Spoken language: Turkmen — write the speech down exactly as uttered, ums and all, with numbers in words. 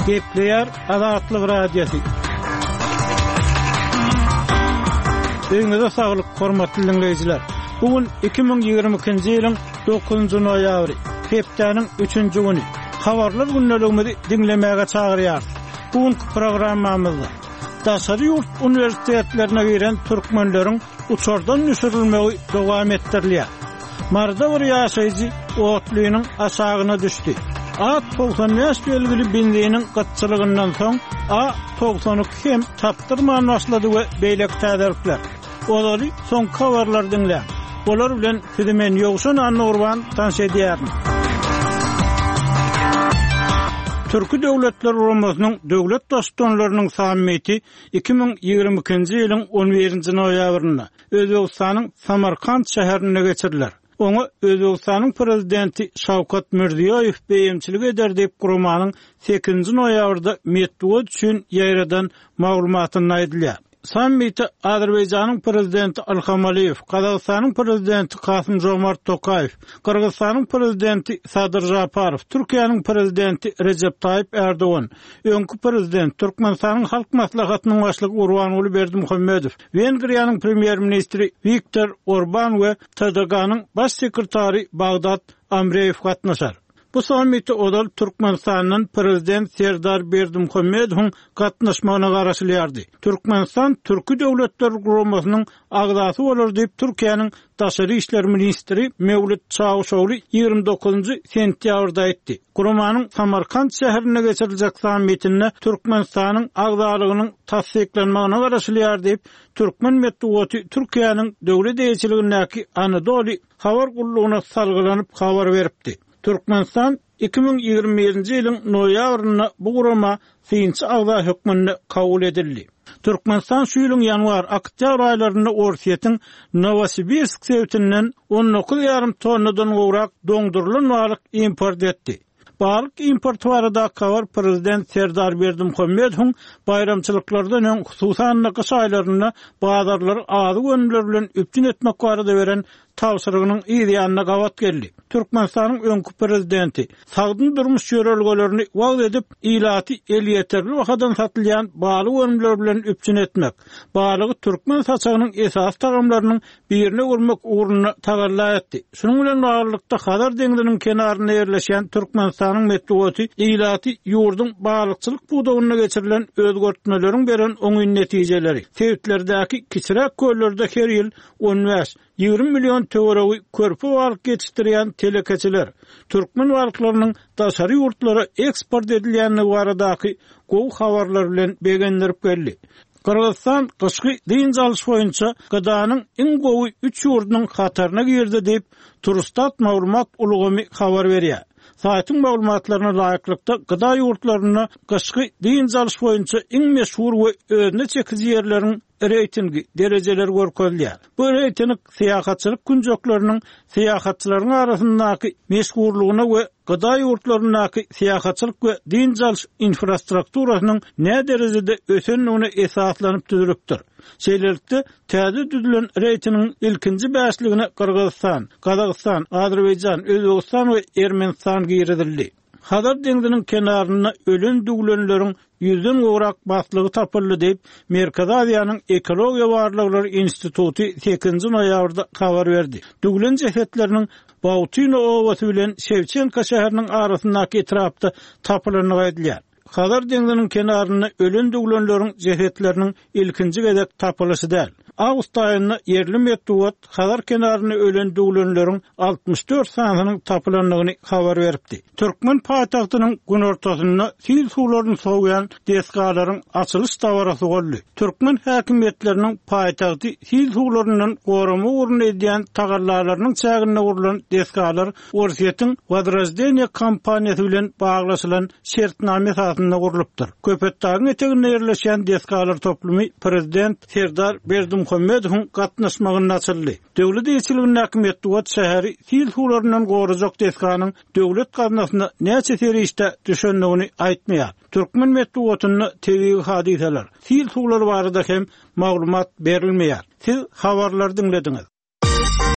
Gepleýär Azatlyk Radiosy. Öýüňize saglyk, hormatly diňleýjiler. Bu gün iki müň ýigrimi ikinji ýylyň dokuzynjy noýabry, hepdäniň üçünji güni. Habarlar gündeligimizi diňlemäge çagyrýarys. Bu günki programmamyzda daşary ýurt uniwersitetlerine giren türkmenleriň uçardan düşürilmegi dowam etdirilýär. Maryda bir ýaşaýjy otlynyň aşagyna düşdi. A togsan bäş belgili benziniň gytçylygyndan soň A togsan iki hem tapdyrman başlady we beýleki täzelikler. Ozaly soňky habarlary diňläň. Olar bilen sizi men Ýowşan Annagurban tanyş edýärin. Türki Döwletler Guramasynyň döwlet baştutanlarynyň sammiti iki müň ýigrimi ikinji ýylyň on birinji noýabrynda Özbegistanyň Samarkant şäherinde geçiriler. Oňa Özbegistanyň prezidenti Şawkat Mirziýoýew beýemçilik eder diýip guramanyň sekizinji noýabrda metbugat üçin ýaýradan maglumatynda aýdylýar. Sammite Azerbaýjanyň prezidenti Ilham Aliýew, Gazagystanyň prezidenti Kasym Jomart Tokaýew, Gyrgyzystanyň prezidenti Sadyr Žaparow, Türkiýäniň prezidenti Rejep Taýyp Erdogan, öňki prezident Türkmenistanyň Halk Maslahatynyň başlygy Gurbanguly Berdimuhamedow, Wengriýanyň premýer-ministri Viktor Orban we T D G-nyň baş sekretary Bagdad Amreýew gatnaşar. Bu sammite ozal Türkmenistandan prezident Serdar Berdimuhamedowyň gatnaşmagyna garaşylýardy. Türkmenistan Türki Döwletler Guramasynyň agzasy bolar diýip Türkiýäniň Daşary işler ministri Mewlüt Çawuşogly ýigrimi dokuzynjy sentýabrda aýtdy. Guramanyň Samarkant şäherinde geçiriljek sammitinde Türkmenistanyň agzalygynyň tassyklanmagyna garaşylýar diýip Türkmen metbugaty Türkiýäniň döwlet eýeçiligindäki Anadolu habar gullugyna salgylanyp habar beripdi. Türkmenistan iki müň ýigrimi birinji ýylyň noýabrynda bu gurama synçy agza hökmünde kabul edildi. Türkmenistan şu ýylyň ýanwar, oktýabr aýlarynda Orsýetiň Nowosibirsk sebitinden on dokuz ýarym tonnadan gowrak doňdurylan balyk import etdi. Balyk importy barada habar prezident Serdar Berdimuhamedowyň baýramçylyklardan öň hususan gyş aýlarynda bazarlary azyk önümleri bilen üpjün etmek barada beren tabşyrygynyň yz ýanyna gabat geldi. Türkmenistanyň öňki prezidenti sagdyn durmuş ýörelgelerini wagyz edip, ilaty elýeterli bahadan satylýan balyk önümleri bilen üpjün etmek, balygy türkmen saçagynyň esasy tagamlarynyň birine öwürmek ugrunda tagalla etdi. Şunuň bilen baglylykda Hazar deňziniň kenarynda ýerleşen Türkmenistanyň metbugaty ilaty ýurduň balykçylyk pudagynda geçirilen özgertmeleriň beren oňyn netijeleri, sebitlerdäki kiçiräk köllerde her ýyl on bäş, ýigrimi million töweregi körpe balyk ýetişdirýän telekeçiler, türkmen balyklarynyň daşary ýurtlara eksport edilýändigi baradaky gowy habarlar bilen begendirip geldi. Gyrgyzystan gyşky dynç alyş boýunça gydanyň iň gowy üç ýurdunyň hataryna girdi diýip Turstat maglumat ulgamy habar berýär. Saýtyň maglumatlaryna laýyklykda gyda ýurtlarynda gyşky dynç alyş boýunça iň meşhur we özüne çekiji ýerleriň reýtingi derejeleri görkezilýär. Bu reýting syýahatçylyk künjekleriniň syýahatçylaryň arasyndaky meşhurlygyna we gyda ýurtlaryndaky syýahatçylyk we dynç alyş infrastrukturasynyň nä derejede ösendigine esaslanyp düzülipdir. Şeýlelikde, täze düzülen reýtingiň ilkinji bäşligine Gyrgyzystan, Gazagystan, Azerbaýjan, Özbegistan we Ermenistan girizildi. Hazar deňziniň kenarynda ölen düwlenleriň ýüzden gowrak baslygy tapyldy diýip, Merkezi Aziýanyň Ekologiýa barlaglary instituty sekizinji noýabrda habar berdi. Düwlen jesetleriniň Bautino obasy bilen Şewçenko şäheriniň arasyndaky etrapda tapylandygy aýdylýar. Hazar deňziniň kenarynda ölen düwlenleriň jesetleriniň ilkinji gezek tapylyşy däl. Awgust aýynda ýerli metbugat Hazar kenarynda ölen düwlenleriň altmyş dört sanynyň tapylandygyny habar beripdi. Türkmen paýtagtynyň günortasynda sil suwlaryny sowýan desgalaryň açylyş dabarasy boldy. Türkmen häkimiýetleriniň paýtagty sil suwlaryndan gorama ugrunda edýän tagallalarynyň çäginde gurlan desgalar Orsýetiň Wozroždeniýe kompaniýasy bilen baglaşylan şertname esasynda gurlupdyr. Köpetdagyň eteginde ýerleşen desgalar toplumy prezident Serdar Berdimuhamedowyň gatnaşmagynda açyldy. Döwlet eýeçiligindäki metbugat şäheri sil suwlaryndan gorajak desganyň döwlet gaznasyna näçe serişde düşendigini aýtmaýar. Türkmen metbugatynda tebigy hadysalar, sil suwlary barada hem maglumat berilmeýär. Siz habarlary diňlediňiz.